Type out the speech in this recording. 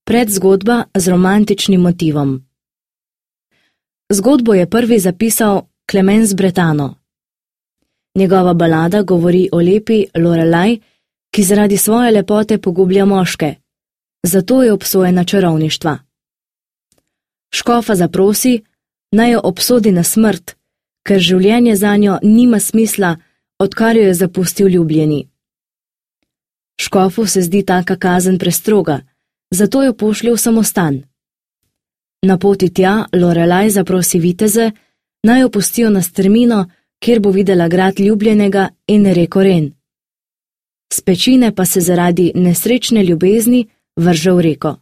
Predzgodba z romantičnim motivom. Zgodbo je prvi zapisal Clemens Bretano. Njegova balada govori o lepi Lorelej, ki zaradi svoje lepote pogublja moške, zato je obsojena čarovništva. Škofa zaprosi, naj jo obsodi na smrt, ker življenje zanjo nima smisla, odkar jo je zapustil ljubljeni. Škofu se zdi taka kazen prestroga, zato jo pošlje v samostan. Na poti tja Lorelej zaprosi viteze, naj jo pustijo na strmino, kjer bo videla grad ljubljenega in reko Ren. S pečine pa se zaradi nesrečne ljubezni vrže v reko.